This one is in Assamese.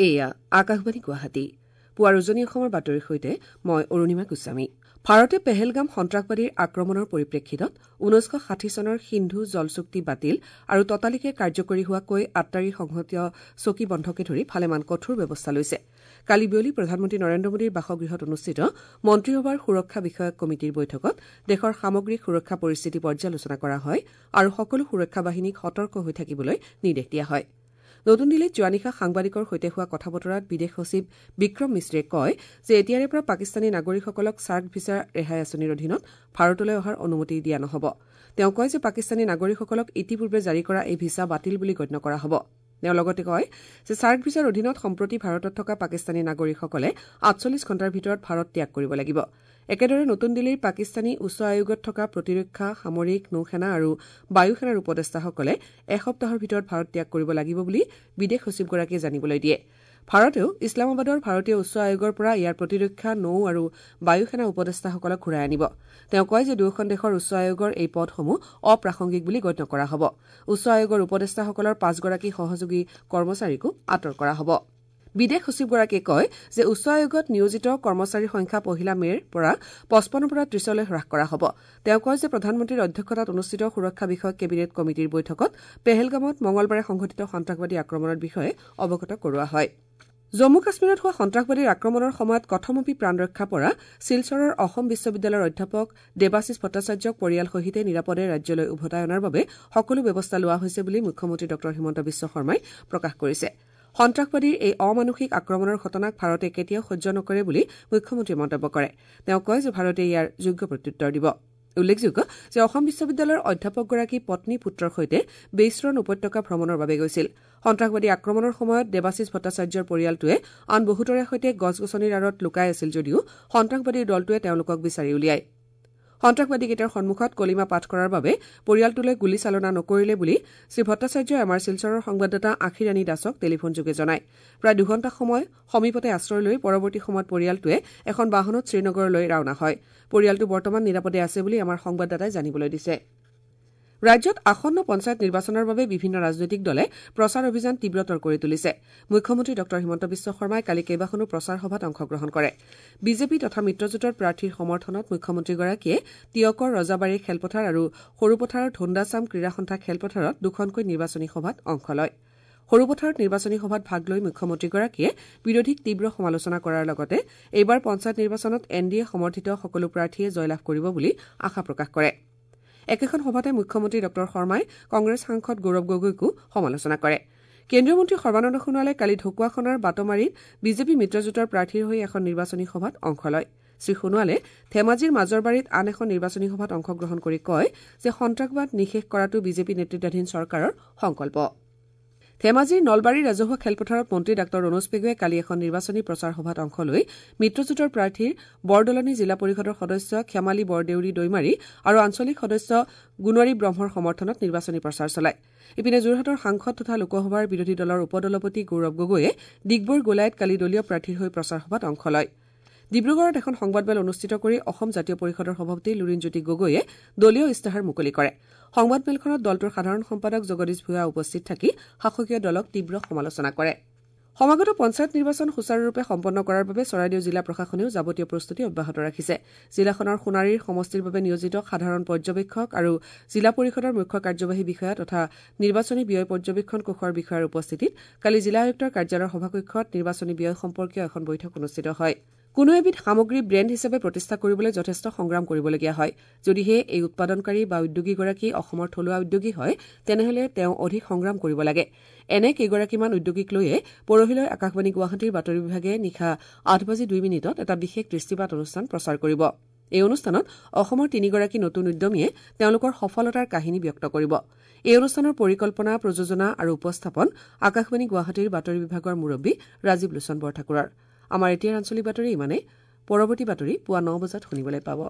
এয়া আকাশবাণী গুৱাহাটী। পুৱাৰ উজনি অসমৰ বাতৰিৰ সৈতে মই অৰুণিমা গোস্বামী। ভাৰতে পেহেলগাম সন্ত্ৰাসবাদীৰ আক্ৰমণৰ পৰিপ্ৰেক্ষিতত ১৯৬০ চনৰ সিন্ধু জল চুক্তি বাতিল আৰু ততালিকে কাৰ্যকৰী হোৱাকৈ আট্টাৰী সংহতীয় চকী বন্ধকে ধৰি ভালেমান কঠোৰ ব্যৱস্থা লৈছে। কালি বিয়লি প্ৰধানমন্ত্ৰী নৰেন্দ্ৰ মোদীৰ বাসগৃহত অনুষ্ঠিত মন্ত্ৰীসভাৰ সুৰক্ষা বিষয়ক কমিটীৰ বৈঠকত দেশৰ সামগ্ৰিক সুৰক্ষা পৰিস্থিতি পৰ্যালোচনা কৰা হয় আৰু সকলো সুৰক্ষা বাহিনীক সতৰ্ক হৈ থাকিবলৈ নিৰ্দেশ দিয়া হয়। নতুন দিল্লীত যোৱা নিশা সাংবাদিকৰ সৈতে হোৱা কথা বতৰাত বিদেশ সচিব বিক্ৰম মিশ্ৰীয়ে কয় যে এতিয়াৰে পৰা পাকিস্তানী নাগৰিকসকলক ছাৰ্ক ভিছা ৰেহাই আঁচনিৰ অধীনত ভাৰতলৈ অহাৰ অনুমতি দিয়া নহ'ব। তেওঁ কয় যে পাকিস্তানী নাগৰিকসকলক ইতিপূৰ্বে জাৰি কৰা এই ভিছা বাতিল বুলি গণ্য কৰা হ'ব। তেওঁ লগতে কয় যে ছাৰ্ক ভিছাৰ অধীনত সম্প্ৰতি ভাৰতত থকা পাকিস্তানী নাগৰিকসকলে ৪৮ ঘণ্টাৰ ভিতৰত ভাৰত ত্যাগ কৰিব লাগিব। একেদৰে নতুন দিল্লীৰ পাকিস্তানী উচ্চ আয়োগত থকা প্ৰতিৰক্ষা, সামৰিক, নৌসেনা আৰু বায়ুসেনাৰ উপদেষ্টাসকলে এসপ্তাহৰ ভিতৰত ভাৰত ত্যাগ কৰিব লাগিব বুলি বিদেশ সচিবগৰাকীয়ে জানিবলৈ দিয়ে। ভাৰতেও ইছলামাবাদৰ ভাৰতীয় উচ্চ আয়োগৰ পৰা ইয়াৰ প্ৰতিৰক্ষা, নৌ আৰু বায়ুসেনা উপদেষ্টাসকলক ঘূৰাই আনিব। তেওঁ কয় যে দুয়োখন দেশৰ উচ্চ আয়োগৰ এই পদসমূহ অপ্ৰাসংগিক বুলি গণ্য কৰা হ'ব। উচ্চ আয়োগৰ উপদেষ্টাসকলৰ ৫গৰাকী সহযোগী কৰ্মচাৰীকো আঁতৰ কৰা হ'ব। বিদেশ সচিবগৰাকীয়ে কয় যে উচ্চ আয়োগত নিয়োজিত কৰ্মচাৰীৰ সংখ্যা ১ মে'ৰ পৰা ৫৫ৰ পৰা ৩০লৈ হ্ৰাস কৰা হ'ব। তেওঁ কয় যে প্ৰধানমন্ত্ৰীৰ অধ্যক্ষতাত অনুষ্ঠিত সুৰক্ষা বিষয়ক কেবিনেট কমিটীৰ বৈঠকত পেহেলগামত মঙলবাৰে সংঘটিত সন্ত্ৰাসবাদী আক্ৰমণৰ বিষয়ে অৱগত কৰোৱা হয়। জম্মু কাশ্মীৰত হোৱা সন্ত্ৰাসবাদীৰ আক্ৰমণৰ সময়ত কথমপি প্ৰাণ ৰক্ষা পৰা শিলচৰৰ অসম বিশ্ববিদ্যালয়ৰ অধ্যাপক দেৱাশীষ ভট্টাচাৰ্যক পৰিয়ালসহিতে নিৰাপদে ৰাজ্যলৈ উভতাই অনাৰ বাবে সকলো ব্যৱস্থা লোৱা হৈছে বুলি মুখ্যমন্ত্ৰী ডঃ হিমন্ত বিশ্ব শৰ্মাই প্ৰকাশ কৰিছে। সন্ত্ৰাসবাদীৰ এই অমানুষিক আক্ৰমণৰ ঘটনাক ভাৰতে কেতিয়াও সহ্য নকৰে বুলি মুখ্যমন্ত্ৰীয়ে মন্তব্য কৰে। তেওঁ কয় যে ভাৰতে ইয়াৰ যোগ্য প্ৰত্যুত্তৰ দিব। উল্লেখযোগ্য যে অসম বিশ্ববিদ্যালয়ৰ অধ্যাপকগৰাকী পত্নী পুত্ৰৰ সৈতে বেইছৰণ উপত্যকা ভ্ৰমণৰ বাবে গৈছিল। সন্ত্ৰাসবাদী আক্ৰমণৰ সময়ত দেৱাশীষ ভট্টাচাৰ্যৰ পৰিয়ালটোৱে আন বহুতৰে সৈতে গছ গছনিৰ আঁৰত লুকাই আছিল যদিও সন্ত্ৰাসবাদীৰ দলটোৱে তেওঁলোকক বিচাৰি উলিয়ায়। সন্ত্ৰাসবাদীকেইটাৰ সন্মুখত কলিমা পাঠ কৰাৰ বাবে পৰিয়ালটোলৈ গুলীচালনা নকৰিলে বুলি শ্ৰীভট্টাচাৰ্যই আমাৰ শিলচৰৰ সংবাদদাতা আখিৰাণী দাসক টেলিফোনযোগে জনায়। প্ৰায় দুঘণ্টা সময় সমীপতে আশ্ৰয় লৈ পৰৱৰ্তী সময়ত পৰিয়ালটোৱে এখন বাহনত শ্ৰীনগৰলৈ ৰাওনা হয়। পৰিয়ালটো বৰ্তমান নিৰাপদে আছে বুলি আমাৰ সংবাদদাতাই জানিবলৈ দিছে। ৰাজ্যত আসন্ন পঞ্চায়ত নিৰ্বাচনৰ বাবে বিভিন্ন ৰাজনৈতিক দলে প্ৰচাৰ অভিযান তীব্ৰতৰ কৰি তুলিছে। মুখ্যমন্ত্ৰী ডঃ হিমন্ত বিশ্ব শৰ্মাই কালি কেইবাখনো প্ৰচাৰ সভাত অংশগ্ৰহণ কৰে। বিজেপি তথা মিত্ৰজোঁটৰ প্ৰাৰ্থীৰ সমৰ্থনত মুখ্যমন্ত্ৰীগৰাকীয়ে টীয়কৰ ৰজাবাৰী খেলপথাৰ আৰু সৰুপথাৰৰ ধোন্দাচাম ক্ৰীড়া সন্থা খেলপথাৰত দুখনকৈ নিৰ্বাচনী সভাত অংশ লয়। সৰুপথাৰত নিৰ্বাচনী সভাত ভাগ লৈ মুখ্যমন্ত্ৰীগৰাকীয়ে বিৰোধীক তীব্ৰ সমালোচনা কৰাৰ লগতে এইবাৰ পঞ্চায়ত নিৰ্বাচনত এন ডি এ সমৰ্থিত সকলো প্ৰাৰ্থীয়ে জয়লাভ কৰিব বুলি আশা প্ৰকাশ কৰে। একেখন সভাতে মুখ্যমন্ত্ৰী ডঃ শৰ্মাই কংগ্ৰেছ সাংসদ গৌৰৱ গগৈকো সমালোচনা কৰে। কেন্দ্ৰীয় মন্ত্ৰী সৰ্বানন্দ সোণোৱালে কালি ঢকুৱাখনাৰ বাটমাৰীত বিজেপি মিত্ৰজোঁটৰ প্ৰাৰ্থীৰ হৈ এখন নিৰ্বাচনী সভাত অংশ লয়। শ্ৰীসোণোৱালে ধেমাজিৰ মাজৰবাৰীত আন এখন নিৰ্বাচনী সভাত অংশগ্ৰহণ কৰি কয় যে সন্ত্ৰাসবাদ নিঃশেষ কৰাটো বিজেপি নেতৃত্বাধীন চৰকাৰৰ সংকল্প। ধেমাজিৰ নলবাৰী ৰাজহুৱা খেলপথাৰত মন্ত্ৰী ডাঃ ৰণোজ পেগুৱে কালি এখন নিৰ্বাচনী প্ৰচাৰ সভাত অংশ লৈ মিত্ৰজোঁটৰ প্ৰাৰ্থীৰ বৰদলনি জিলা পৰিষদৰ সদস্য ক্ষমালী বৰদেউৰী দৈমাৰী আৰু আঞ্চলিক সদস্য গুণৰী ব্ৰহ্মৰ সমৰ্থনত নিৰ্বাচনী প্ৰচাৰ চলায়। ইপিনে যোৰহাটৰ সাংসদ তথা লোকসভাৰ বিৰোধী দলৰ উপদলপতি গৌৰৱ গগৈয়ে ডিগবৈৰ গোলাইত কালি দলীয় প্ৰাৰ্থীৰ হৈ প্ৰচাৰ সভাত অংশ লয়। ডিব্ৰুগড়ত এখন সংবাদমেল অনুষ্ঠিত কৰি অসম জাতীয় পৰিষদৰ সভাপতি লুৰিণজ্যোতি গগৈয়ে দলীয় ইস্তাহাৰ মুকলি কৰে। সংবাদমেলখনত দলটোৰ সাধাৰণ সম্পাদক জগদীশ ভূঞা উপস্থিত থাকি শাসকীয় দলক তীব্ৰ সমালোচনা কৰে। সমাগত পঞ্চায়ত নিৰ্বাচন সুচাৰুৰূপে সম্পন্ন কৰাৰ বাবে চৰাইদেউ জিলা প্ৰশাসনেও যাৱতীয় প্ৰস্তুতি অব্যাহত ৰাখিছে। জিলাখনৰ সোণাৰীৰ সমষ্টিৰ বাবে নিয়োজিত সাধাৰণ পৰ্যবেক্ষক আৰু জিলা পৰিষদৰ মুখ্য কাৰ্যবাহী বিষয়া তথা নিৰ্বাচনী ব্যয় পৰ্যবেক্ষণ কোষৰ বিষয়াৰ উপস্থিতিত কালি জিলা আয়ুক্তৰ কাৰ্যালয়ৰ সভাকক্ষত নিৰ্বাচনী ব্যয় সম্পৰ্কীয় এখন বৈঠক অনুষ্ঠিত হয়। কোনো এবিধ সামগ্ৰী ব্ৰেণ্ড হিচাপে প্ৰতিষ্ঠা কৰিবলৈ যথেষ্ট সংগ্ৰাম কৰিবলগীয়া হয়। যদিহে এই উৎপাদনকাৰী বা উদ্যোগীগৰাকী অসমৰ থলুৱা উদ্যোগী হয়, তেনেহলে তেওঁ অধিক সংগ্ৰাম কৰিব লাগে। এনে কেইগৰাকীমান উদ্যোগীক লৈয়ে পৰহিলৈ আকাশবাণী গুৱাহাটীৰ বাতৰি বিভাগে নিশা ৮:০২ এটা বিশেষ দৃষ্টিপাত অনুষ্ঠান প্ৰচাৰ কৰিব। এই অনুষ্ঠানত অসমৰ তিনিগৰাকী নতুন উদ্যমীয়ে তেওঁলোকৰ সফলতাৰ কাহিনী ব্যক্ত কৰিব। এই অনুষ্ঠানৰ পৰিকল্পনা, প্ৰযোজনা আৰু উপস্থাপন আকাশবাণী গুৱাহাটীৰ বাতৰি বিভাগৰ মুৰব্বী ৰাজীৱ লোচন বৰঠাকুৰৰ। আমাৰ এতিয়াৰ আঞ্চলিক বাতৰি ইমানেই। পৰৱৰ্তী বাতৰি পুৱা ৯ বজাত শুনিবলৈ পাব।